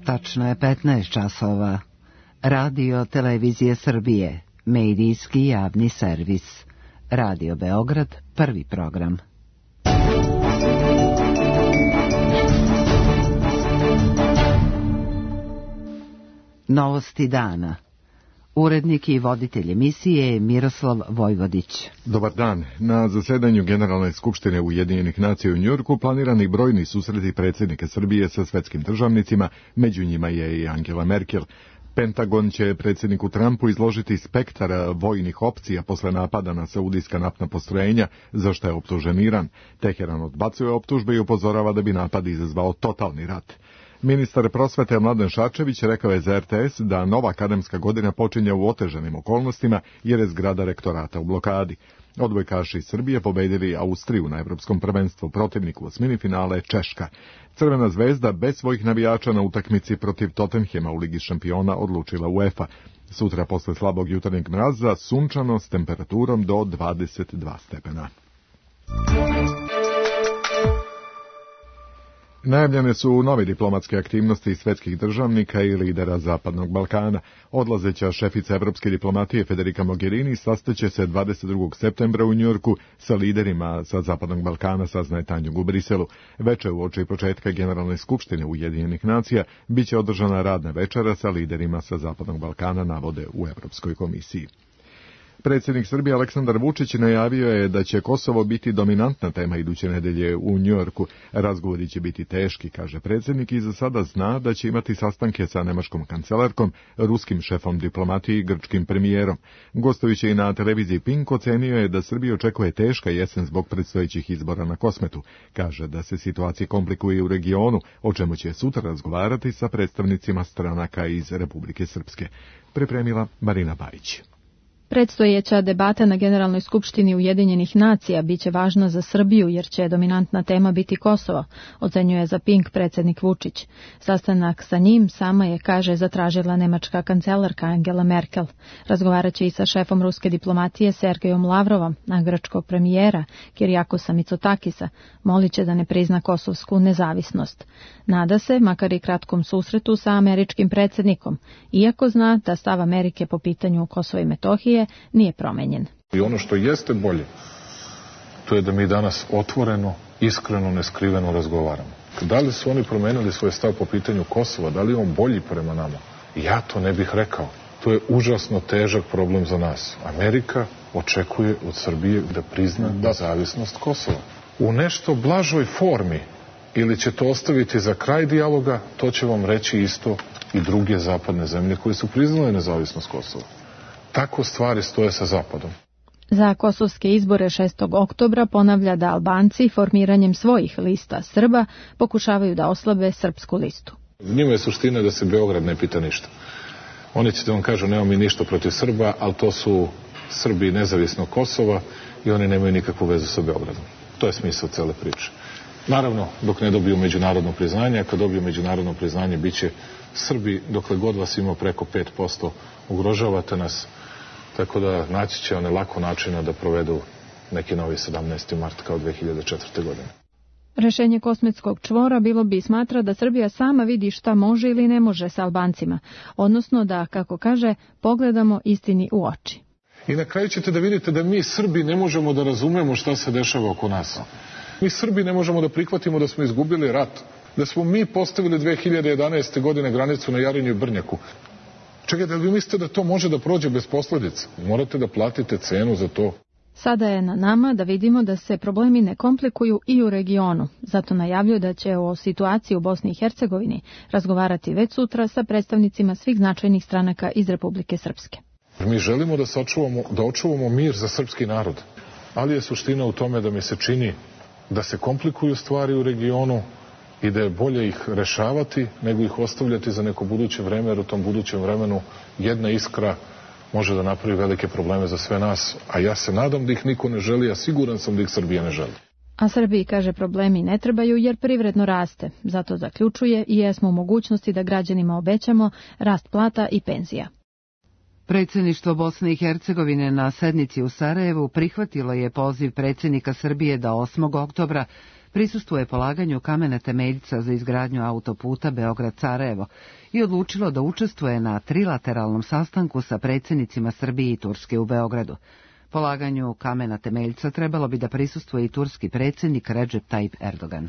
Tačno je 15 časova. Radio Televizije Srbije, medijski javni servis. Radio Beograd, prvi program. Novosti dana. Urednik i voditelj emisije je Miroslav Vojvodić. Dobar dan. Na zasedanju Generalne skupštine Ujedinjenih nacija u Njujorku planirani brojni susreti predsjednika Srbije sa svetskim državnicima, među njima je i Angela Merkel. Pentagon će predsjedniku Trumpu izložiti spektar vojnih opcija posle napada na saudijska naftna postrojenja, za što je optužen Iran. Teheran odbacuje optužbe i upozorava da bi napad izazvao totalni rat. Ministar prosvete Mladen Šarčević rekao je za RTS da nova akademska godina počinje u otežanim okolnostima jer je zgrada rektorata u blokadi. Odbojkaši iz Srbije pobedili Austriju na evropskom prvenstvu, protivniku u osmini finale Češka. Crvena zvezda bez svojih navijača na utakmici protiv Tottenhema u Ligi šampiona odlučila UEFA. Sutra posle slabog jutarnjeg mraza sunčano s temperaturom do 22 stepena. Najavljene su nove diplomatske aktivnosti svetskih državnika i lidera Zapadnog Balkana. Odlazeća šefica evropske diplomatije Federica Mogherini sastaće se 22. septembra u Njujorku sa liderima sa Zapadnog Balkana, saznaje Tanjug u Briselu. Veče uoči početka Generalne skupštine Ujedinjenih nacija biće održana radna večera sa liderima sa Zapadnog Balkana, navode u Evropskoj komisiji. Predsjednik Srbije Aleksandar Vučić najavio je da će Kosovo biti dominantna tema iduće nedelje u Njujorku. Razgovori će biti teški, kaže predsjednik, i za sada zna da će imati sastanke sa nemačkom kancelarkom, ruskim šefom diplomatije i grčkim premijerom. Gostujući i na televiziji Pink ocenio je da Srbiju očekuje teška jesen zbog predstojećih izbora na Kosmetu. Kaže da se situacija komplikuje u regionu, o čemu će sutra razgovarati sa predstavnicima stranaka iz Republike Srpske. Pripremila Marina Bajić. Predstojeća debata na Generalnoj skupštini Ujedinjenih nacija biće važna za Srbiju jer će dominantna tema biti Kosovo, ocenjuje za Pink predsjednik Vučić. Sastanak sa njim sama je, kaže, zatražila nemačka kancelarka Angela Merkel. Razgovaraće i sa šefom ruske diplomatije Sergejom Lavrovom, a grčkog premijera Kirijakosa Mitsotakisa moliće da ne prizna kosovsku nezavisnost. Nada se, makar i kratkom susretu sa američkim predsjednikom, iako zna da stav Amerike po pitanju Kosova i Metohije nije promenjen. I ono što jeste bolje, to je da mi danas otvoreno, iskreno, neskriveno razgovaramo. Da li su oni promenili svoj stav po pitanju Kosova, da li je on bolji prema nama? Ja to ne bih rekao. To je užasno težak problem za nas. Amerika očekuje od Srbije da prizna nezavisnost Kosova. U nešto blažoj formi, ili će to ostaviti za kraj dijaloga, to će vam reći isto i druge zapadne zemlje koje su priznale nezavisnost Kosova. Tako stvari stoje sa Zapadom. Za kosovske izbore 6. oktobra ponavlja da Albanci formiranjem svojih lista Srba pokušavaju da oslabe srpsku listu. Njima je suština da se Beograd ne pita ništa. Oni će da vam kažu nemamo mi ništa protiv Srba, ali to su Srbi nezavisnog Kosova i oni nemaju nikakvu vezu sa Beogradom. To je smisao cele priče. Naravno, dok ne dobiju međunarodno priznanje, a kad dobiju međunarodno priznanje, bit će Srbi, dokle god vas ima preko 5%, ugrožavate nas, tako da naći će one lako načina da provedu neki novi 17. mart kao 2004. godine. Rešenje kosmetskog čvora bilo bi, smatra, da Srbija sama vidi šta može ili ne može sa Albancima, odnosno da, kako kaže, pogledamo istini u oči. I na kraju ćete da vidite da mi Srbi ne možemo da razumemo šta se dešava oko nas. Mi Srbi ne možemo da prihvatimo da smo izgubili rat, da smo mi postavili 2011. godine granicu na Jarinju i Brnjaku. Čekajte, da li vi mislite da to može da prođe bez posljedica? Morate da platite cenu za to. Sada je na nama da vidimo da se problemi ne komplikuju i u regionu. Zato najavljuje da će o situaciji u Bosni i Hercegovini razgovarati već sutra sa predstavnicima svih značajnih stranaka iz Republike Srpske. Mi želimo da očuvamo mir za srpski narod, ali je suština u tome da mi se čini da se komplikuju stvari u regionu i da je bolje ih rešavati nego ih ostavljati za neko buduće vreme, jer u tom budućem vremenu jedna iskra može da napravi velike probleme za sve nas, a ja se nadam da ih niko ne želi, a siguran sam da ih Srbija ne želi. A Srbiji, kaže, problemi ne trebaju jer privredno raste. Zato zaključuje i jesmo u mogućnosti da građanima obećamo rast plata i penzija. Predsjedništvo Bosne i Hercegovine na sednici u Sarajevu prihvatilo je poziv predsjednika Srbije da 8. oktobra prisustvuje polaganju kamena temeljca za izgradnju autoputa Beograd-Sarajevo i odlučilo da učestvuje na trilateralnom sastanku sa predsjednicima Srbije i Turske u Beogradu. Polaganju kamena temeljca trebalo bi da prisustvuje i turski predsjednik Recep Tayyip Erdogan.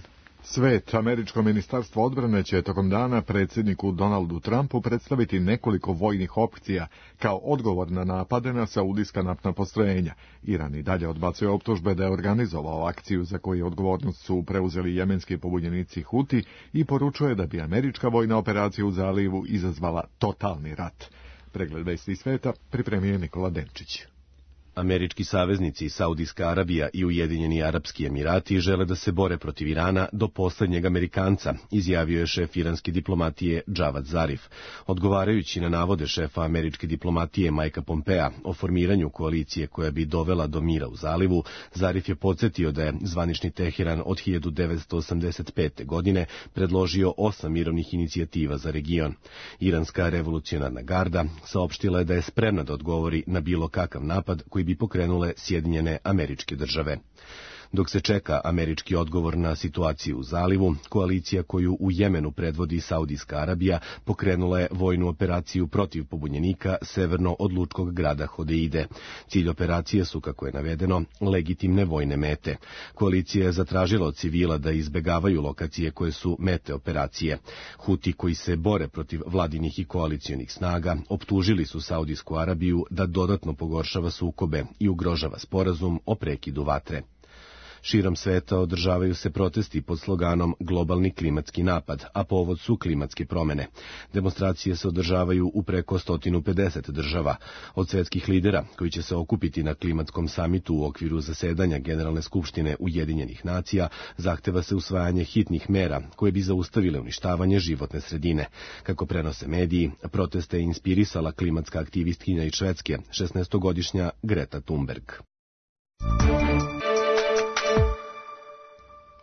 Svet, američko ministarstvo odbrane će tokom dana predsjedniku Donaldu Trumpu predstaviti nekoliko vojnih opcija kao odgovor na napade na saudijska naftna postrojenja. Iran i dalje odbacuje optužbe da je organizovao akciju za koju odgovornost su preuzeli jemenski pobunjenici Huti i poručuje da bi američka vojna operacija u zalivu izazvala totalni rat. Pregled vesti sveta pripremio Nikola Denčić. Američki saveznici Saudijska Arabija i Ujedinjeni Arapski Emirati žele da se bore protiv Irana do posljednjeg Amerikanca, izjavio je šef iranske diplomatije Džavad Zarif. Odgovarajući na navode šefa američke diplomatije Majka Pompea o formiranju koalicije koja bi dovela do mira u zalivu, Zarif je podsjetio da je zvanični Teheran od 1985. godine predložio 8 mirovnih inicijativa za region. Iranska revolucionarna garda saopštila je da je spremna da odgovori na bilo kakav napad koji bi pokrenule Sjedinjene Američke Države. Dok se čeka američki odgovor na situaciju u zalivu, koalicija koju u Jemenu predvodi Saudijska Arabija pokrenula je vojnu operaciju protiv pobunjenika severno od lučkog grada Hodeide. Cilj operacije su, kako je navedeno, legitimne vojne mete. Koalicija je zatražila od civila da izbegavaju lokacije koje su mete operacije. Huti koji se bore protiv vladinih i koalicionih snaga optužili su Saudijsku Arabiju da dodatno pogoršava sukobe i ugrožava sporazum o prekidu vatre. Širom sveta održavaju se protesti pod sloganom Globalni klimatski napad, a povod su klimatske promjene. Demonstracije se održavaju u preko 150 država. Od svetskih lidera, koji će se okupiti na klimatskom samitu u okviru zasedanja Generalne skupštine Ujedinjenih nacija, zahteva se usvajanje hitnih mera koje bi zaustavile uništavanje životne sredine. Kako prenose mediji, proteste je inspirisala klimatska aktivistkinja iz Švedske, 16-godišnja Greta Thunberg.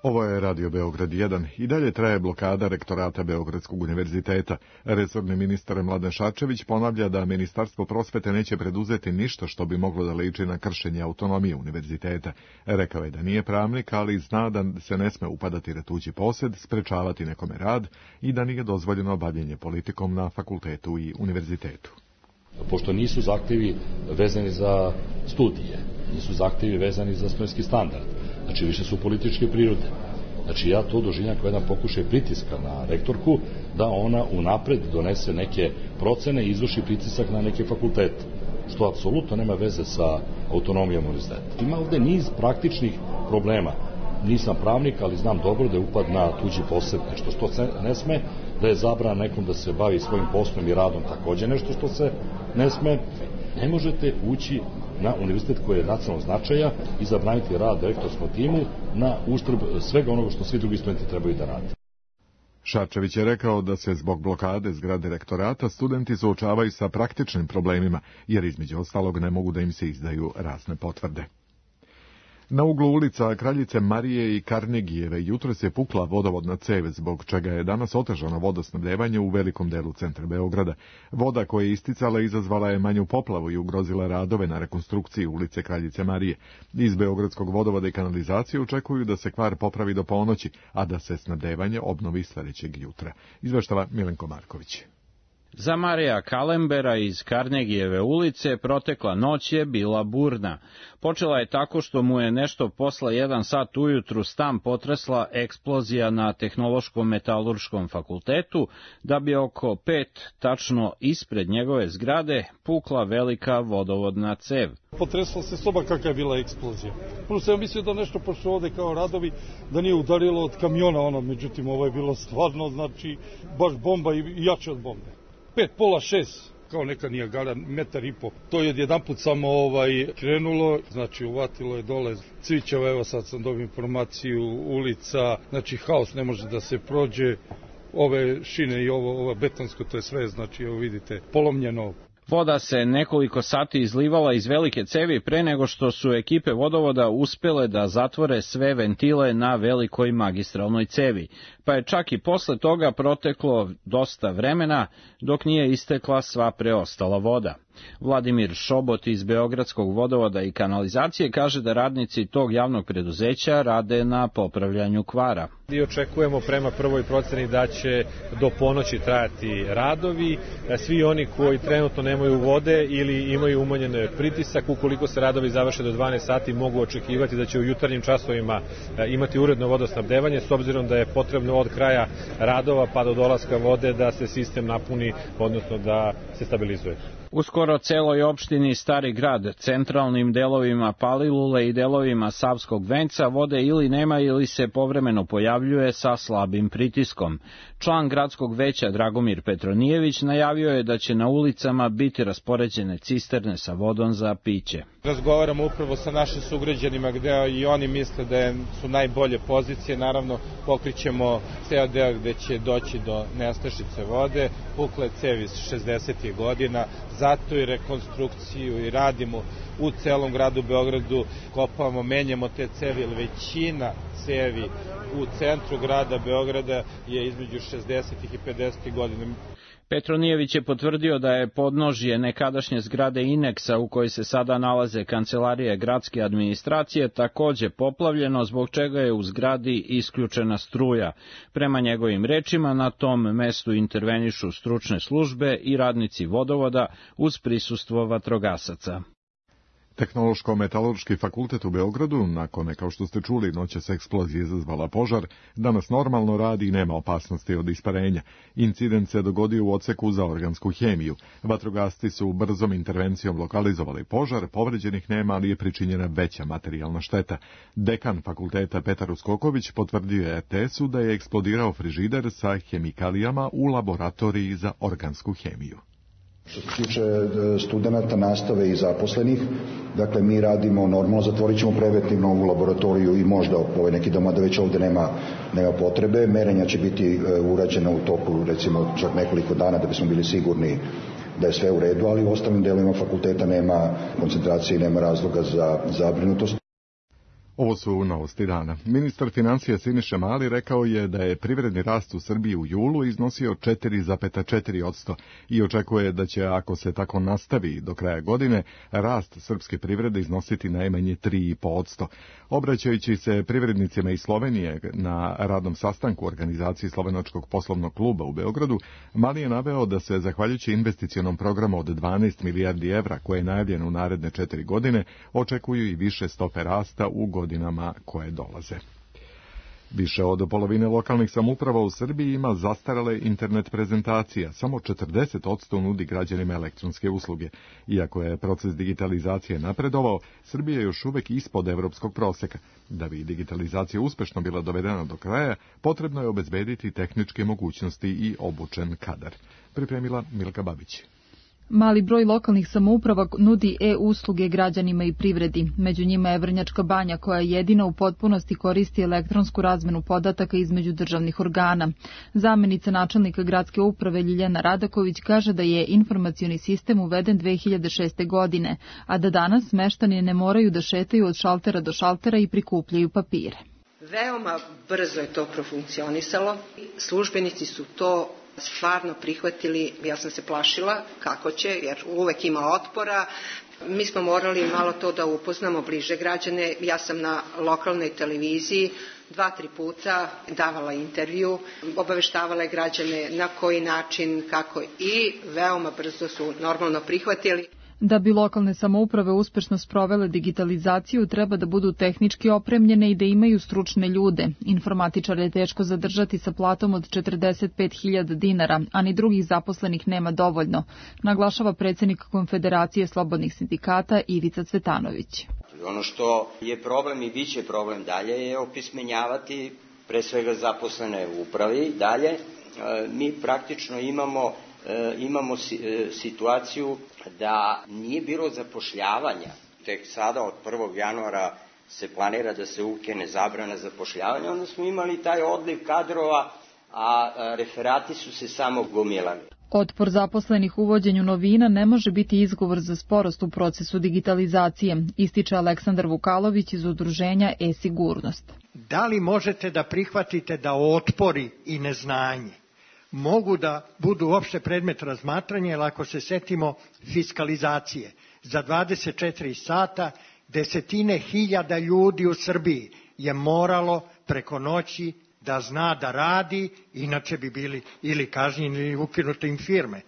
Ovo je Radio Beograd 1. I dalje traje blokada rektorata Beogradskog univerziteta. Resorni ministar Mladen Šarčević ponavlja da Ministarstvo prosvete neće preduzeti ništa što bi moglo da liči na kršenje autonomije univerziteta. Rekao je da nije pravnik, ali zna da se ne sme upadati na tuđi posed, sprečavati nekome rad i da nije dozvoljeno bavljenje politikom na fakultetu i univerzitetu. Pošto nisu zahtevi vezani za studije, nisu zahtevi vezani za studentski standard, znači više su političke prirode. Znači ja to doživljam kao jedan pokušaj pritiska na rektorku da ona unapred donese neke procene i izvrši pritisak na neke fakultete, što apsolutno nema veze sa autonomijom univerziteta. Ima ovde niz praktičnih problema. Nisam pravnik, ali znam dobro da je upad na tuđi posed nešto što se ne sme, da je zabrana nekom da se bavi svojim poslom i radom takođe nešto što se ne sme. Ne možete ući na univerzitet koji je nacionalnog značaja i zabraniti rad rektorskom timu na uštrb svega onoga što svi drugi studenti trebaju da rade. Šarčević je rekao da se zbog blokade zgrade rektorata studenti suočavaju sa praktičnim problemima, jer između ostalog ne mogu da im se izdaju razne potvrde. Na uglu ulica Kraljice Marije i Karnegijeve jutros je pukla vodovodna cev, zbog čega je danas otežano vodosnabdevanje u velikom delu centra Beograda. Voda koja je isticala izazvala je manju poplavu i ugrozila radove na rekonstrukciji ulice Kraljice Marije. Iz Beogradskog vodovoda i kanalizacije očekuju da se kvar popravi do ponoći, a da se snabdevanje obnovi sledećeg jutra. Izveštava Milenko Marković. Za Marija Kalembera iz Karnegijeve ulice protekla noć je bila burna. Počela je tako što mu je nešto posle 1 sat ujutru stan potresla eksplozija na Tehnološkom metalurškom fakultetu, da bi oko 5 tačno ispred njegove zgrade pukla velika vodovodna cev. Potresla se soba kakva je bila eksplozija. Prvo sam mislio da nešto, pošto ovde kao radovi, da nije udarilo od kamiona međutim ovo je bilo stvarno, znači, baš bomba i jače od bombe. 5, pola 6, kao neka Nijagara, 1,5 metar. To je odjedanput samo krenulo, znači uvatilo je dole cvićeva, evo sad sam dobio informaciju, ulica, znači haos, ne može da se prođe, ove šine i ovo betonsko, to je sve, znači evo vidite, polomljeno. Voda se nekoliko sati izlivala iz velike cevi pre nego što su ekipe vodovoda uspele da zatvore sve ventile na velikoj magistralnoj cevi, pa je čak i posle toga proteklo dosta vremena dok nije istekla sva preostala voda. Vladimir Šobot iz Beogradskog vodovoda i kanalizacije kaže da radnici tog javnog preduzeća rade na popravljanju kvara. I očekujemo prema prvoj proceni da će do ponoći trajati radovi. Svi oni koji trenutno nemaju vode ili imaju umanjen pritisak, ukoliko se radovi završe do 12 sati, mogu očekivati da će u jutarnjim časovima imati uredno vodosnabdevanje, s obzirom da je potrebno od kraja radova pa do dolaska vode da se sistem napuni, odnosno da se stabilizuje. U skoro celoj opštini Stari grad, centralnim delovima Palilule i delovima Savskog venca vode ili nema ili se povremeno pojavljuje sa slabim pritiskom. Član gradskog veća Dragomir Petronijević najavio je da će na ulicama biti raspoređene cisterne sa vodom za piće. Razgovaramo upravo sa našim sugrađanima gde i oni misle da su najbolje pozicije. Naravno, pokrićemo ceo deo gde će doći do nestašice vode, pukle cevi iz 60. godina, zato i rekonstrukciju i radimo u celom gradu Beogradu, kopamo, menjamo te cevi, jer većina cevi u centru grada Beograda je između 60. i 50. godina. Petronijević je potvrdio da je podnožje nekadašnje zgrade Ineksa u kojoj se sada nalaze kancelarije gradske administracije takođe poplavljeno, zbog čega je u zgradi isključena struja. Prema njegovim rečima, na tom mestu intervenišu stručne službe i radnici vodovoda uz prisustvo vatrogasaca. Tehnološko-metalurški fakultet u Beogradu, nakon, kao što ste čuli, noćas eksplozija izazvala požar, danas normalno radi i nema opasnosti od isparenja. Incident se dogodio u odseku za organsku hemiju. Vatrogasci su brzom intervencijom lokalizovali požar, povređenih nema, ali je pričinjena veća materijalna šteta. Dekan fakulteta Petar Uskoković potvrdio je RTS-u da je eksplodirao frižider sa hemikalijama u laboratoriji za organsku hemiju. Što se tiče studenta, nastave i zaposlenih, dakle mi radimo normalno, zatvorit ćemo preventivno u laboratoriju i možda neki doma da već ovde nema potrebe. Merenja će biti urađena u toku recimo čak nekoliko dana da bismo bili sigurni da je sve u redu, ali u ostalim delovima fakulteta nema koncentracije i nema razloga za zabrinutost. Ovo su novosti dana. Ministar financija Siniša Mali rekao je da je privredni rast u Srbiji u julu iznosio 4,4% i očekuje da će, ako se tako nastavi do kraja godine, rast srpske privrede iznositi najmanje 3,5%. Obraćajući se privrednicima iz Slovenije na radnom sastanku organizaciji Slovenačkog poslovnog kluba u Beogradu, Mali je naveo da se, zahvaljujući investicionom programu od 12 milijardi evra koje je najavljen u naredne 4 godine, očekuju i više stope rasta u godinama koje dolaze. Više od polovine lokalnih samouprava u Srbiji ima zastarele internet prezentacija. Samo 40% nudi građanima elektronske usluge. Iako je proces digitalizacije napredovao, Srbija je još uvek ispod evropskog proseka. Da bi digitalizacija uspešno bila dovedena do kraja, potrebno je obezbediti tehničke mogućnosti i obučen kadar. Pripremila Milka Babić. Mali broj lokalnih samouprava nudi e-usluge građanima i privredi. Među njima je Vrnjačka Banja, koja jedina u potpunosti koristi elektronsku razmenu podataka između državnih organa. Zamenica načelnika gradske uprave Ljiljana Radaković kaže da je informacioni sistem uveden 2006. godine, a da danas meštani ne moraju da šetaju od šaltera do šaltera i prikupljaju papire. Veoma brzo je to profunkcionisalo. Službenici su to stvarno prihvatili, ja sam se plašila kako će, jer uvek ima otpora. Mi smo morali malo to da upoznamo bliže građane. Ja sam na lokalnoj televiziji 2-3 puta davala intervju, obaveštavala građane na koji način, kako, i veoma brzo su normalno prihvatili. Da bi lokalne samouprave uspešno sprovele digitalizaciju, treba da budu tehnički opremljene i da imaju stručne ljude. Informatičare je teško zadržati sa platom od 45.000 dinara, a ni drugih zaposlenih nema dovoljno, naglašava predsednik Konfederacije slobodnih sindikata Ivica Cvetanović. Ono što je problem i biće problem dalje je opismenjavati pre svega zaposlene u upravi. Dalje, mi praktično imamo situaciju da nije bilo zapošljavanja. Tek sada od 1. januara se planira da se ukine zabrana zapošljavanja. Onda smo imali taj odliv kadrova, a referati su se samo gomilali. Otpor zaposlenih uvođenju novina ne može biti izgovor za sporost u procesu digitalizacije, ističe Aleksandar Vukalović iz udruženja e-sigurnost. Da li možete da prihvatite da otpori i neznanje mogu da budu uopšte predmet razmatranja, jer ako se setimo fiskalizacije, za 24 sata desetine hiljada ljudi u Srbiji je moralo preko noći da zna da radi, inače bi bili ili kažnjeni ili ukinute im firme.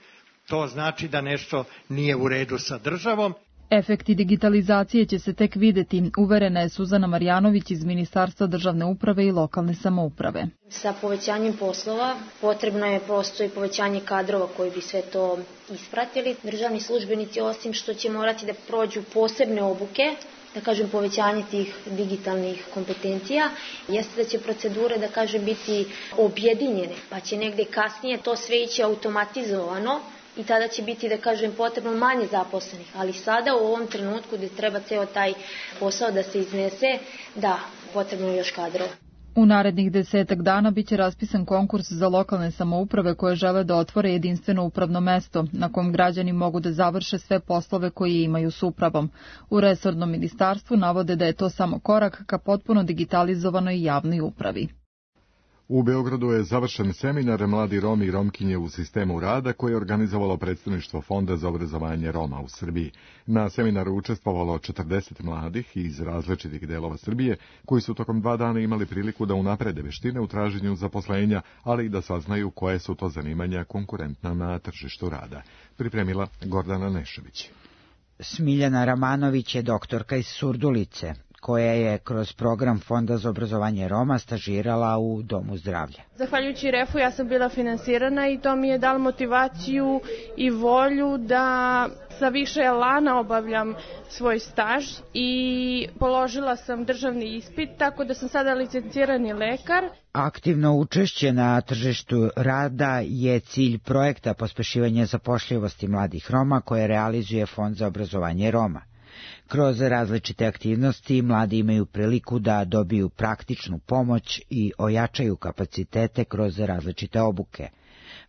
To znači da nešto nije u redu sa državom. Efekti digitalizacije će se tek videti, uverena je Suzana Marjanović iz Ministarstva državne uprave i lokalne samouprave. Sa povećanjem poslova potrebno je prosto i povećanje kadrova koji bi sve to ispratili. Državni službenici, osim što će morati da prođu posebne obuke, da kažem povećanje tih digitalnih kompetencija, jeste da će procedure, da kažem, biti objedinjene, pa će negde kasnije to sve ići automatizovano, i tada će biti, da kažem, potrebno manje zaposlenih. Ali sada u ovom trenutku gde treba ceo taj posao da se iznese, da, potrebno je još kadrova. U narednih 10 dana biće raspisan konkurs za lokalne samouprave koje žele da otvore jedinstveno upravno mesto, na kom građani mogu da završe sve poslove koje imaju s upravom. U resornom ministarstvu navode da je to samo korak ka potpuno digitalizovanoj javnoj upravi. U Beogradu je završen seminar Mladi Romi i Romkinje u sistemu rada koje je organizovalo predstavništvo Fonda za obrazovanje Roma u Srbiji. Na seminaru učestvovalo 40 mladih iz različitih delova Srbije koji su tokom 2 dana imali priliku da unaprede veštine u traženju zaposlenja, ali i da saznaju koje su to zanimanja konkurentna na tržištu rada. Pripremila Gordana Nešević. Smiljana Ramanović je doktorka iz Surdulice, koja je kroz program Fonda za obrazovanje Roma stažirala u Domu zdravlja. Zahvaljujući REF-u ja sam bila finansirana i to mi je dalo motivaciju i volju da sa više elana obavljam svoj staž i položila sam državni ispit, tako da sam sada licencirani lekar. Aktivno učešće na tržištu rada je cilj projekta pospešivanja zapošljivosti mladih Roma koje realizuje Fond za obrazovanje Roma. Kroz različite aktivnosti mladi imaju priliku da dobiju praktičnu pomoć i ojačaju kapacitete kroz različite obuke.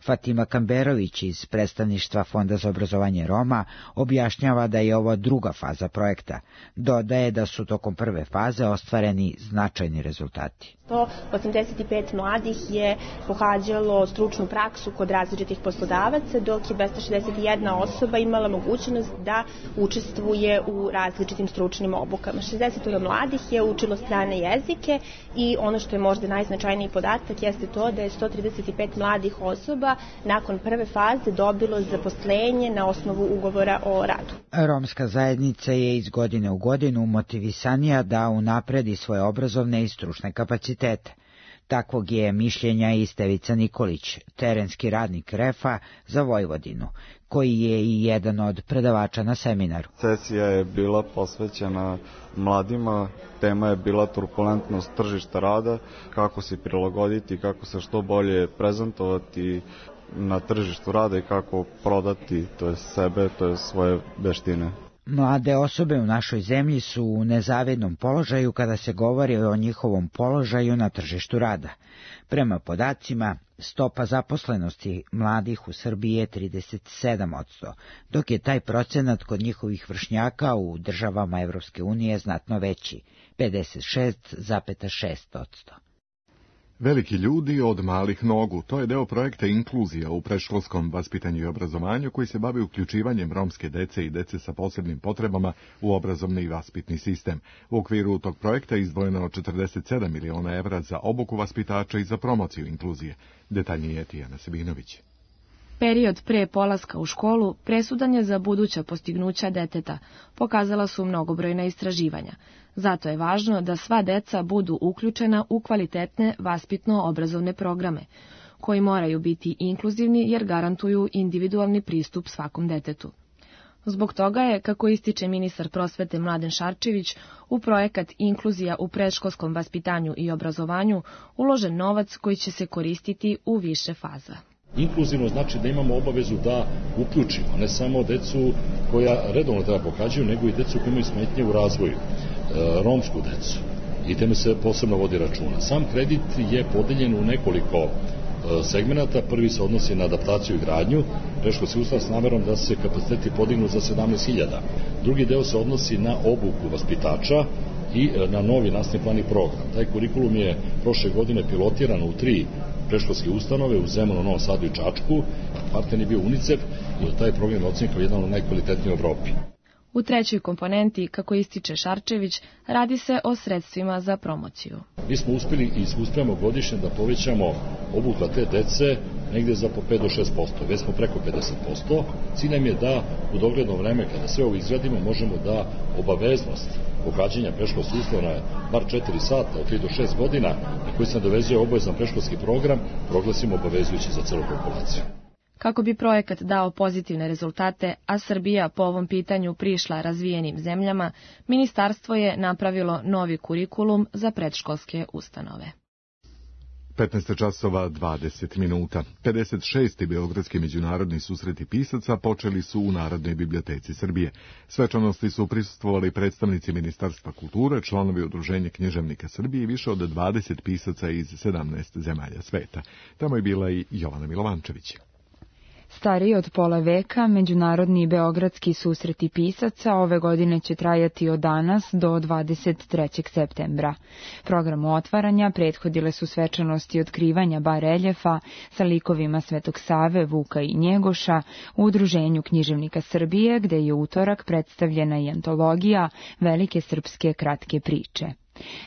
Fatima Kamberović iz predstavništva Fonda za obrazovanje Roma objašnjava da je ovo druga faza projekta. Dodaje da su tokom prve faze ostvareni značajni rezultati. 185 mladih je pohađalo stručnu praksu kod različitih poslodavaca, dok je 261 osoba imala mogućnost da učestvuje u različitim stručnim obukama. 60 mladih je učilo strane jezike i ono što je možda najznačajniji podatak jeste to da je 135 mladih osoba nakon prve faze dobilo zaposlenje na osnovu ugovora o radu. Romska zajednica je iz godine u godinu motivisanija da unapredi svoje obrazovne i stručne kapacitete. Takvog je mišljenja i Stevica Nikolić, terenski radnik REF-a za Vojvodinu, koji je i jedan od predavača na seminaru. Sesija je bila posvećena mladima, tema je bila turbulentnost tržišta rada, kako se prilagoditi, kako se što bolje prezentovati na tržištu rada i kako prodati sebe, svoje veštine. Mlade osobe u našoj zemlji su u nezavidnom položaju kada se govori o njihovom položaju na tržištu rada. Prema podacima, stopa zaposlenosti mladih u Srbiji je 37%, dok je taj procenat kod njihovih vršnjaka u državama Evropske unije znatno veći, 56,6%. Veliki ljudi od malih nogu, to je deo projekta Inkluzija u predškolskom vaspitanju i obrazovanju koji se bavi uključivanjem romske dece i dece sa posebnim potrebama u obrazovni i vaspitni sistem. U okviru tog projekta je izdvojeno 47 miliona evra za obuku vaspitača i za promociju inkluzije. Detaljnije je Tijana Sabinović. Period pre polaska u školu presudan je za buduća postignuća deteta, pokazala su mnogobrojna istraživanja. Zato je važno da sva deca budu uključena u kvalitetne vaspitno-obrazovne programe, koji moraju biti inkluzivni jer garantuju individualni pristup svakom detetu. Zbog toga je, kako ističe ministar prosvete Mladen Šarčević, u projekat Inkluzija u predškolskom vaspitanju i obrazovanju uložen novac koji će se koristiti u više faza. Inkluzivno znači da imamo obavezu da uključimo ne samo decu koja redovno treba pohađaju, nego i decu koja imaju smetnje u razvoju, romsku decu. I teme se posebno vodi računa. Sam kredit je podeljen u nekoliko segmenata. Prvi se odnosi na adaptaciju i gradnju, predškolski ustav s namerom da se kapaciteti podignu za 17.000. Drugi deo se odnosi na obuku vaspitača i na novi nastavni plan i program. Taj kurikulum je prošle godine pilotiran u 3 predškolske ustanove u Zemunu, Novom Sadu i Čačku. Partner je bio UNICEF i taj program je ocenjen kao jedan od najkvalitetnijih u Evropi. U trećoj komponenti, kako ističe Šarčević, radi se o sredstvima za promociju. Mi smo uspeli i uspijemo godišnje da povećamo obuhvat te dece negde za po 5 do 6%, već smo preko 50%. Cilj nam je da u dogledno vreme, kada sve ovo izgradimo, možemo da obaveznost pohađanja predškolskih ustanova na bar 4 sata od 3 do 6 godina, na koji se nadovezuje obavezan predškolski program, proglasimo obavezujući za celu populaciju. Kako bi projekat dao pozitivne rezultate, a Srbija po ovom pitanju prišla razvijenim zemljama, ministarstvo je napravilo novi kurikulum za predškolske ustanove. 15 časova 20 minuta. 56. Beogradski međunarodni susreti pisaca počeli su u Narodnoj biblioteci Srbije. Svečanosti su prisustvovali predstavnici Ministarstva kulture, članovi Udruženja književnika Srbije i više od 20 pisaca iz 17 zemalja sveta. Tamo je bila i Jovana Milovančević. Stariji od pola veka, međunarodni beogradski susreti pisaca ove godine će trajati od danas do 23. septembra. Programu otvaranja prethodile su svečanosti otkrivanja bareljefa sa likovima Svetog Save, Vuka i Njegoša u Udruženju književnika Srbije, gde je utorak predstavljena i antologija Velike srpske kratke priče.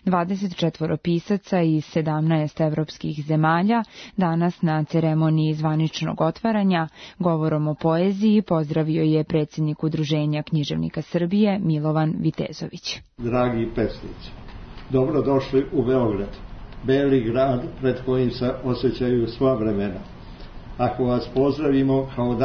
24 pisaca iz 17 evropskih zemalja danas na ceremoniji zvaničnog otvaranja govorom o poeziji pozdravio je predsjednik Udruženja književnika Srbije Milovan Vitezović. Dragi pesnici, dobrodošli u Beograd, beli grad pred kojim se osjećaju sva vremena. Ako vas pozdravimo kao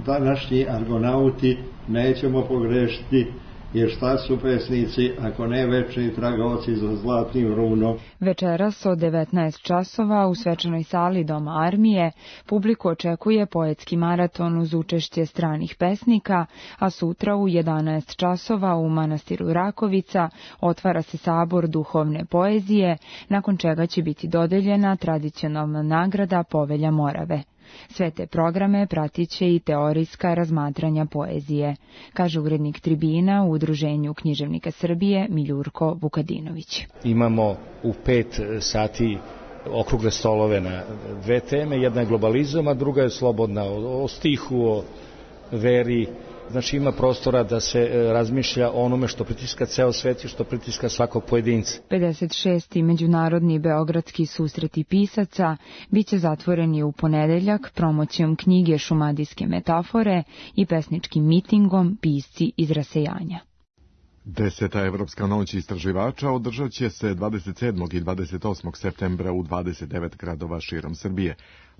današnji argonauti, nećemo pogrešiti, jer šta su pesnici ako ne večni tragaoci za zlatnim runom. Večeras od 19 časova u svečanoj sali Doma armije publiku očekuje poetski maraton uz učešće stranih pesnika, a sutra u 11 časova u manastiru Rakovica otvara se sabor duhovne poezije, nakon čega će biti dodeljena tradicionalna nagrada Povelja Morave. Sve te programe pratit će i teorijska razmatranja poezije, kaže urednik Tribina u Udruženju književnika Srbije Miljurko Vukadinović. Imamo u 5 sati okrugle stolove na 2 teme, jedna je globalizam, a druga je slobodna, o stihu, o veri. Znači ima prostora da se razmišlja o onome što pritiska ceo svet i što pritiska svakog pojedinca. 56. međunarodni beogradski susreti pisaca biće zatvoreni u ponedeljak promocijom knjige Šumadijske metafore i pesničkim mitingom Pisci iz rasejanja. 10. Evropska noć istraživača održat će se 27. i 28. septembra u 29 gradova širom Srbije.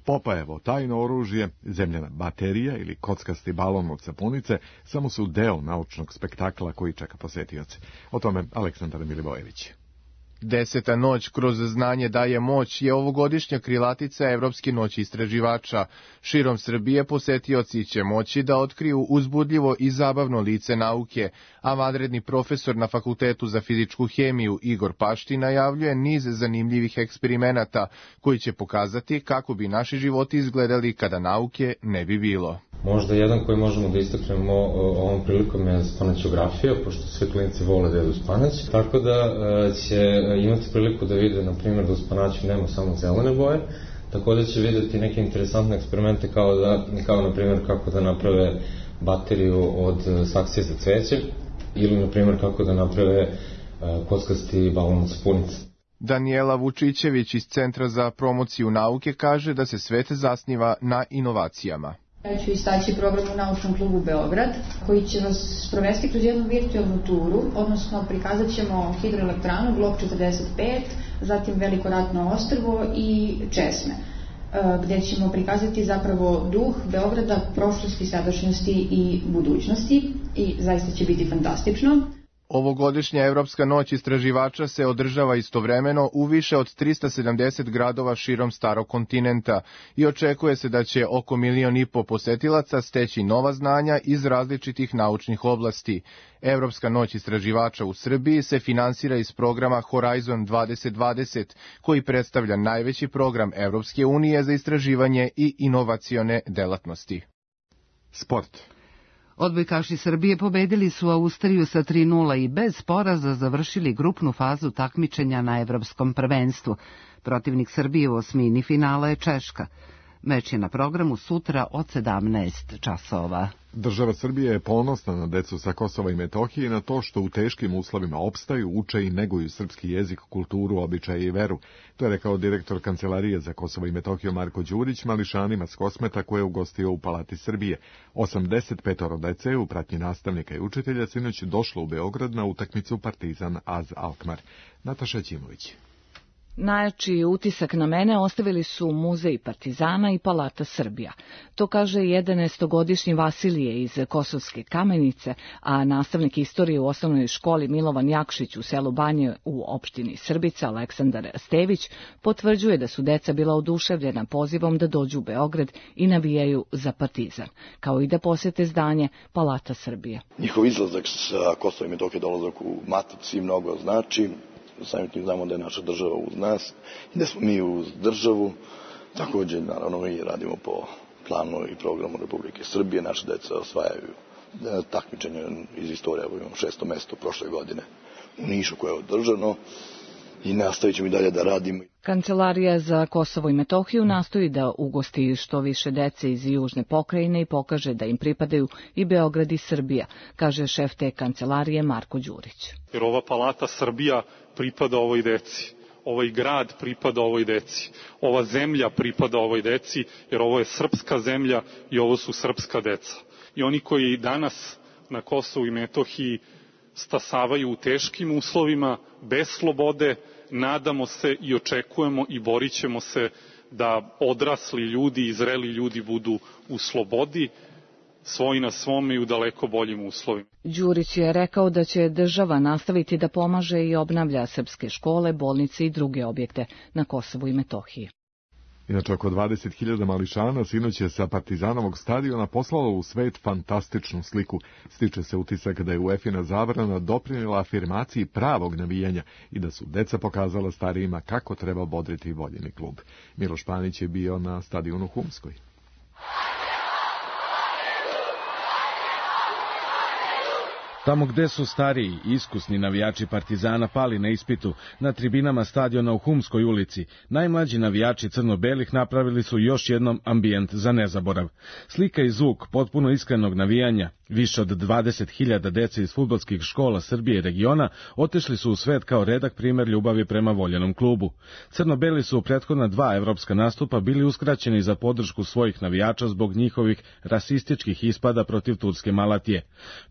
Popajevo tajno oružje, zemljana baterija ili kockasti balon od sapunice samo su deo naučnog spektakla koji čeka posetioce. O tome Aleksandar Milivojević. 10. noć kroz znanje daje moć je ovogodišnja krilatica Evropske noći istraživača. Širom Srbije posetioci će moći da otkriju uzbudljivo i zabavno lice nauke, a vanredni profesor na Fakultetu za fizičku hemiju Igor Pašti najavljuje niz zanimljivih eksperimenata koji će pokazati kako bi naši životi izgledali kada nauke ne bi bilo. Možda jedan koji možemo da istaknemo ovom prilikom je spanaćografija, pošto sve klinici vole da jedu spanać, tako da će imati priliku da vide, na primjer, da u spanaću nema samo zelene boje, tako da će vidjeti neke interesantne eksperimente kao na primjer kako da naprave bateriju od saksije za cveće ili na primjer kako da naprave kockasti balon od sapunice. Danijela Vučićević iz Centra za promociju nauke kaže da se svet zasniva na inovacijama. Ja ću istaći program u Naučnom klubu Beograd, koji će vas provesti kroz jednu virtualnu turu, odnosno prikazat ćemo hidroelektranu, blok 45, zatim Veliko ratno ostrvo i Česme, gde ćemo prikazati zapravo duh Beograda, prošlosti, sadašnjosti i budućnosti i zaista će biti fantastično. Ovogodišnja Evropska noć istraživača se održava istovremeno u više od 370 gradova širom starog kontinenta i očekuje se da će oko 1,5 miliona posetilaca steći nova znanja iz različitih naučnih oblasti. Evropska noć istraživača u Srbiji se finansira iz programa Horizon 2020, koji predstavlja najveći program Evropske unije za istraživanje i inovacione delatnosti. Sport. Odbojkaši Srbije pobedili su Austriju sa 3:0 i bez poraza završili grupnu fazu takmičenja na Evropskom prvenstvu. Protivnik Srbije u osmini finala je Češka. Meč je na programu sutra od 17 časova. Država Srbije je ponosna na decu sa Kosova i Metohije i na to što u teškim uslovima opstaju, uče i neguju srpski jezik, kulturu, običaje i veru. To je rekao direktor Kancelarije za Kosovo i Metohiju Marko Đurić mališanima s Kosmeta koje je ugostio u Palati Srbije. 85 dece u pratnji nastavnika i učitelja sinoć došlo u Beograd na utakmicu Partizan AZ Alkmaar. Nataša Ćimović. Najjači utisak na mene ostavili su Muzej Partizana i Palata Srbija. To kaže 11-godišnji Vasilije iz Kosovske Kamenice, a nastavnik istorije u osnovnoj školi Milovan Jakšić u selu Banje u opštini Srbica Aleksandar Stević potvrđuje da su deca bila oduševljena pozivom da dođu u Beograd i navijaju za Partizan, kao i da posete zdanje Palata Srbije. Njihov izlazak sa Kosova i Metohije, dolazak u Matici mnogo znači. Samim tim znamo da je naša država uz nas i da smo mi uz državu. Također, naravno, mi radimo po planu i programu Republike Srbije. Naše deca osvajaju takmičenje iz istorije. Imamo 6. mesto prošle godine u Nišu koje je održano i nastavit ćemo i dalje da radimo. Kancelarija za Kosovo i Metohiju nastoji da ugosti što više dece iz južne pokrajine i pokaže da im pripadaju i Beograd i Srbija, kaže šef te kancelarije Marko Đurić. Jer ova Palata Srbija pripada ovoj deci. Ovaj grad pripada ovoj deci. Ova zemlja pripada ovoj deci, jer ovo je srpska zemlja i ovo su srpska deca. I oni koji danas na Kosovu i Metohiji stasavaju u teškim uslovima, bez slobode, nadamo se i očekujemo i borit ćemo se da odrasli ljudi i zreli ljudi budu u slobodi, svoji na svome i u daleko boljim uslovima. Đurić je rekao da će država nastaviti da pomaže i obnavlja srpske škole, bolnice i druge objekte na Kosovu i Metohiji. Inače, oko 20.000 mališana sinoć je sa Partizanovog stadiona poslalo u svet fantastičnu sliku. Stiče se utisak da je UEFA zabrana doprinijela afirmaciji pravog navijanja i da su deca pokazala starijima kako treba bodriti voljeni klub. Miloš Panić je bio na stadionu Humskoj. Tamo gde su stariji i iskusni navijači Partizana pali na ispitu, na tribinama stadiona u Humskoj ulici, najmlađi navijači crno-belih napravili su još jednom ambijent za nezaborav. Slika i zvuk potpuno iskrenog navijanja, više od 20.000 dece iz fudbalskih škola Srbije i regiona otešli su u svet kao redak primer ljubavi prema voljenom klubu. Crno-beli su u prethodna 2 evropska nastupa bili uskraćeni za podršku svojih navijača zbog njihovih rasističkih ispada protiv turske Malatije.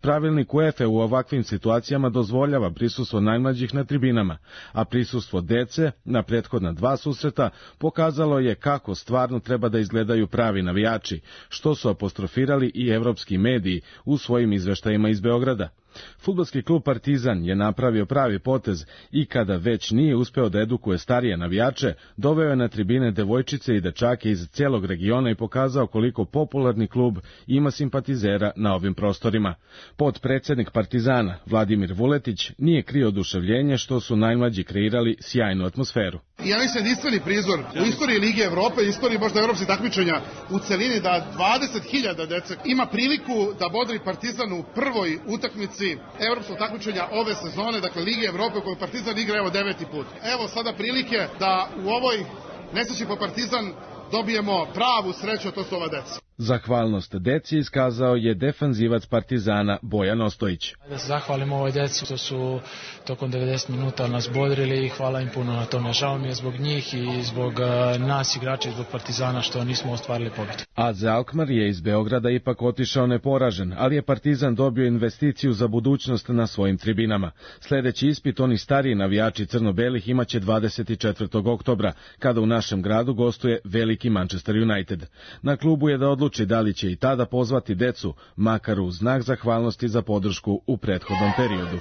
Pravilnik UEFA u ovakvim situacijama dozvoljava prisustvo najmlađih na tribinama, a prisustvo dece na prethodna 2 susreta pokazalo je kako stvarno treba da izgledaju pravi navijači, što su apostrofirali i evropski mediji u svojim izveštajima iz Beograda. Fudbalski klub Partizan je napravio pravi potez i kada već nije uspeo da edukuje starije navijače, doveo je na tribine devojčice i dečake iz celog regiona i pokazao koliko popularni klub ima simpatizera na ovim prostorima. Potpredsednik Partizana, Vladimir Vuletić, nije krio oduševljenje što su najmlađi kreirali sjajnu atmosferu. Ja mislim jedinstveni prizor u istoriji Lige Evrope, istoriji možda evropskih takmičenja u celini da 20.000 dece ima priliku da bodri Partizan u prvoj utakmici evropskog takmičenja ove sezone, dakle Lige Evrope u kojoj Partizan igra evo 9. put. Evo sada prilike da u ovoj nesreći po Partizan dobijemo pravu sreću, a to su ova deca. Zahvalnost deci iskazao je defanzivac Partizana Bojan Ostojić. Da se zahvalim ovoj deci što su tokom 90 minuta nas bodrili i hvala im puno na tome. Žao mi je zbog njih i zbog nas igrača i zbog Partizana što nismo ostvarili pobjedu. AZ Alkmaar je iz Beograda ipak otišao neporažen, ali je Partizan dobio investiciju za budućnost na svojim tribinama. Sledeći ispit oni stariji navijači crno-belih imaće 24. oktobra, kada u našem gradu gostuje veliki Manchester United. Na klubu je da odluči da li će i tada pozvati decu, makar u znak zahvalnosti za podršku u prethodnom periodu.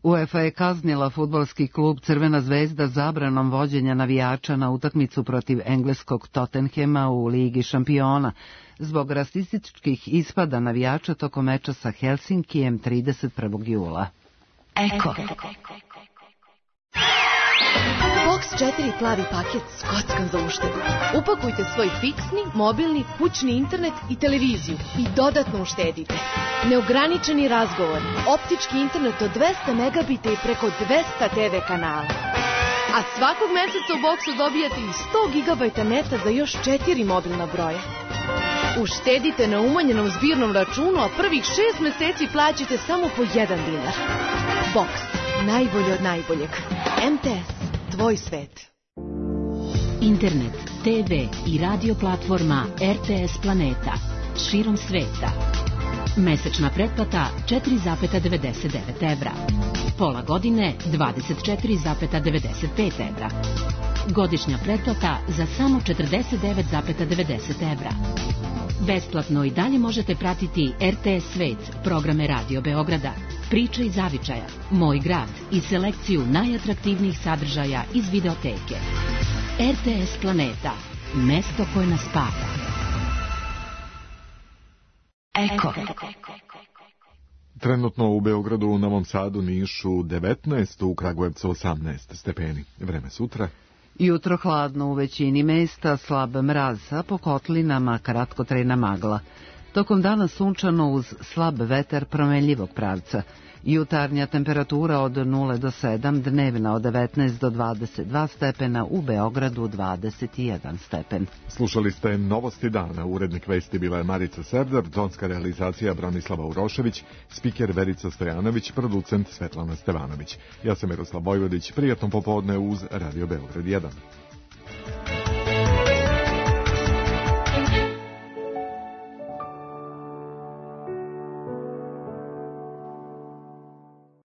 UEFA je kaznila fudbalski klub Crvena zvezda zabranom vođenja navijača na utakmicu protiv engleskog Tottenhema u Ligi šampiona zbog rasističkih ispada navijača tokom meča sa Helsinkijem 31. jula. Eko. Box 4 plavi paket s kockom za uštedu. Upakujte svoj fiksni, mobilni, kućni internet i televiziju i dodatno uštedite. Neograničeni razgovor, optički internet od 200 megabita i preko 200 TV kanala. A svakog meseca u Boxu dobijate i 100 gigabajta neta za još 4 mobilna broja. Uštedite na umanjenom zbirnom računu, a prvih 6 meseci plaćate samo po 1 dinar. Box, najbolje od najboljeg. MTS, tvoj svet. Internet, TV i radio platforma RTS Planeta. Širom sveta. Mesečna pretplata 4,99 evra. Pola godine 24,95 evra. Godišnja pretplata za samo 49,90 evra. Besplatno i dalje možete pratiti RTS Svet, programe Radio Beograda, Priče iz zavičaja, Moj grad i selekciju najatraktivnijih sadržaja iz videoteke. RTS Planeta, mesto koje nas spaja. Eko. Trenutno u Beogradu, u Novom Sadu, Nišu 19, u Kragujevcu 18 stepeni. Vreme sutra. Jutro hladno u većini mesta, slab mraz, a po kotlinama kratkotrajna magla. Tokom dana sunčano uz slab vetar promenljivog pravca. Jutarnja temperatura od 0 do 7, dnevna od 19 do 22 stepena, u Beogradu 21 stepen. Slušali ste Novosti dana. Urednik vesti bila je Marica Serdar, tonska realizacija Branislava Urošević, spiker Verica Stojanović, producent Svetlana Stevanović. Ja sam Miroslav Vojvodić, prijatno popodne uz Radio Beograd 1.